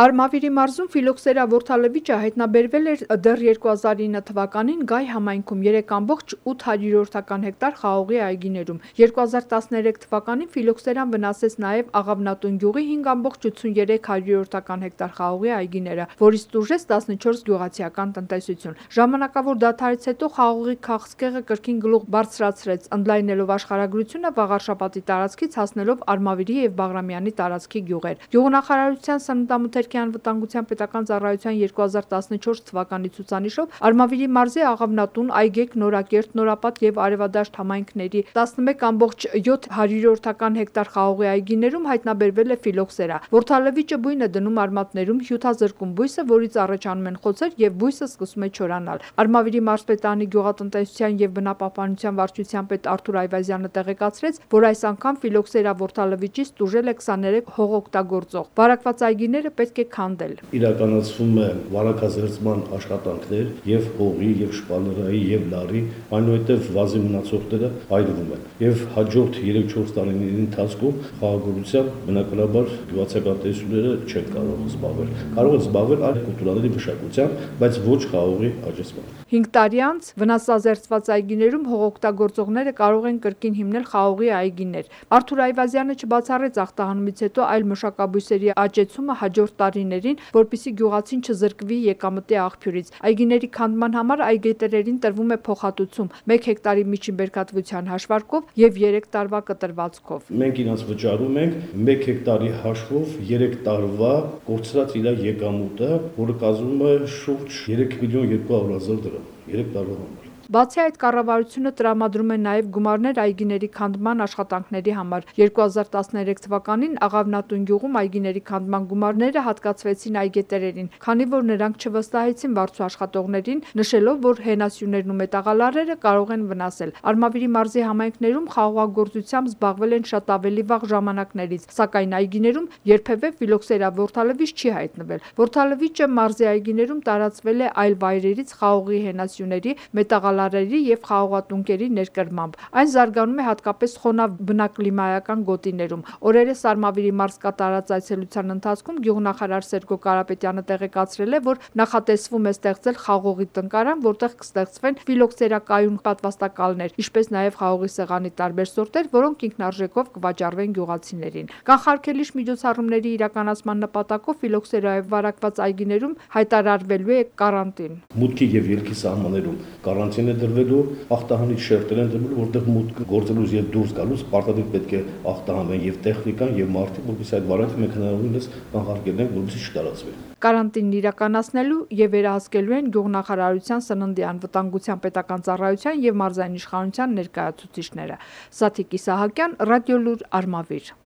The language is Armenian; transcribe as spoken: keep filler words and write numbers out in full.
Արմավիրի մարզում ֆիլոքսերա որդալվիճը հայտնաբերվել էր դեռ երկու հազար ինը թվականին Գայ համայնքում երեք կամբողջ ութ հարյուրորդական հեկտար խաղողի այգիներում։ երկու հազար տասներեք թվականին ֆիլոքսերան վնասեց նաև Աղավնատուն գյուղի հինգ կամբողջ ութսունութերեք հարյուրորդական հեկտար խաղողի այգիները, որից տուժեց տասնչորս գյուղացիական տնտեսություն։ Ժամանակավոր դադարից հետո խաղողի քաղցկեղը կրկին գլուխ բարձրացրեց, ընդլայնելով աշխարհագրությունը Վաղարշապատի տարածքից հասնելով Արմավիրի և Բաղրամյանի տարածքի գյուղեր։ Գյուղնախարարության սննդամթերքի անվտանգության պետական ծառայության երկու հազար տասնչորս թվականի ցուցանիշով Արմավիրի մարզի Աղավնատուն, Այգեկ, Նորակերտ, Նորապատ և Արևադաշտ համայնքների տասնմեկ կամբողջ յոթ հարյուրորդական հեկտար խաղողի այգիներում հայտնաբերվել է ֆիլոքսերա։ Որդալվիճը բույն է դնում արմատներում, հյութազրկում բույսը, որից առաջանում են խոցեր և բույսը սկսում է չորանալ։ Արմավիրի մարզպետարանի գյուղատնտեսության և բնապահպանության վարչության պետ Արթուր Այվազյանը տեղեկացրեց, որ այս անգամ ֆիլոքսերա որդալվիճից տուժել է քսաներեք հողօգտագործող։ Վարակված այգիները պետք է քանդել։ Իրականացվում է վարակազերծման աշխատանքներ եւ հողի, եւ շպալերայի, եւ լարի, այնուհետեւ վազի մնացորդները այրվում են։ Եվ հաջորդ երեք-չորս տարիների ընթացքում խաղաղօրությամբ բնականաբար գյուղացիական տեսուները չեն կարող զբաղվել։ Կարող են զբաղվել այլ կուլտուրաների մշակությամբ, բայց ոչ խաղողի աճեցմամբ։ հինգ տարի անց վնասազերծված այգիներում հողօգտագործողները կարող են կրկին հիմնել խաղողի այգիներ։ Արթուր Այվազյանը չբացառեց ախտահանումից հետո այլ մշակաբույսերի աճեցումը հաջորդ տարիներին, որպեսզի գյուղացին չզրկվի եկամտի աղբյուրից։ Այգիների քանդման համար այգետերերին տրվում է փոխհատուցում մեկ հեկտարի միջին բերքատվության հաշվարկով եւ երեք տարվա կտրվածքով։ Մենք իրաց վճարում ենք մեկ հեկտարի հաշվով երեք տարվա կորցրած իր եկամուտը, որը կազմում է շուրջ երեք միլիոն երկու հարյուր հազար դրամ երեք տարվա համար։ Բացի այդ, կառավարությունը տրամադրում է նաև գումարներ այգիների քանդման աշխատանքների համար։ երկու հազար տասներեք թվականին Աղավնատուն գյուղում այգիների քանդման գումարները հատկացվեցին այգետերերին, քանի որ նրանք չվստահեցին վարձու աշխատողներին, նշելով, որ հենասյուներն ու մետաղալարերը կարող են վնասել։ Արմավիրի մարզի համայնքներում խաղողագործությամբ զբաղվել են շատ ավելի վաղ ժամանակներից, սակայն այգիներում երբևէ ֆիլոքսերա որդալվիճ չի հայտնվել։ Որդալվիճը մարզի այգիներում տարածվել է այլ վայրերից խաղողի հենասյուների, մետաղալարերի և խաղողատունկերի ներկրմամբ։ Այն զարգանում է հատկապես խոնավ բնակլիմայական գոտիներում։ Օրերս Արմավիրի մարզ կատարած այցելության ընթացքում գյուղնախարար Սերգո Կարապետյանը տեղեկացրել է, որ նախատեսվում է ստեղծել խաղողի տնկարան, որտեղ կստեղծվեն ֆիլոքսերա կայուն պատվաստակալներ, ինչպես նաև խաղողի սեղանի տարբեր սորտեր, որոնք ինքնարժեքով կվաճառվեն գյուղացիներին։ Կանխարգելիչ միջոցառումների իրականացման նպատակով ֆիլոքսերայով վարակված այգիներում հայտարարվելու է կարանտին։ Մուտքի եւ ելքի սահմաններում կարանտին է դրվելու, ախտահանիչ շերտեր են դրվելու, որտեղ մուտք գործելուց եւ դուրս գալուց պարտադիր պետք է ախտահանվեն եւ տեխնիկան եւ մարդիկ, որովհետեւ այդ վարակը մենք հնարավորինս կանխարգելենք, որպեսզի չտարածվի։ Կարանտինն իրականացնելու եւ վերահսկելու են գյուղնախարարության սննդի անվտանգության պետական ծառայության եւ մարզային իշխանության ներկայացուցիչները։ Սաթիկ Իսահակյան, Ռադիոլուր, Արմավիր։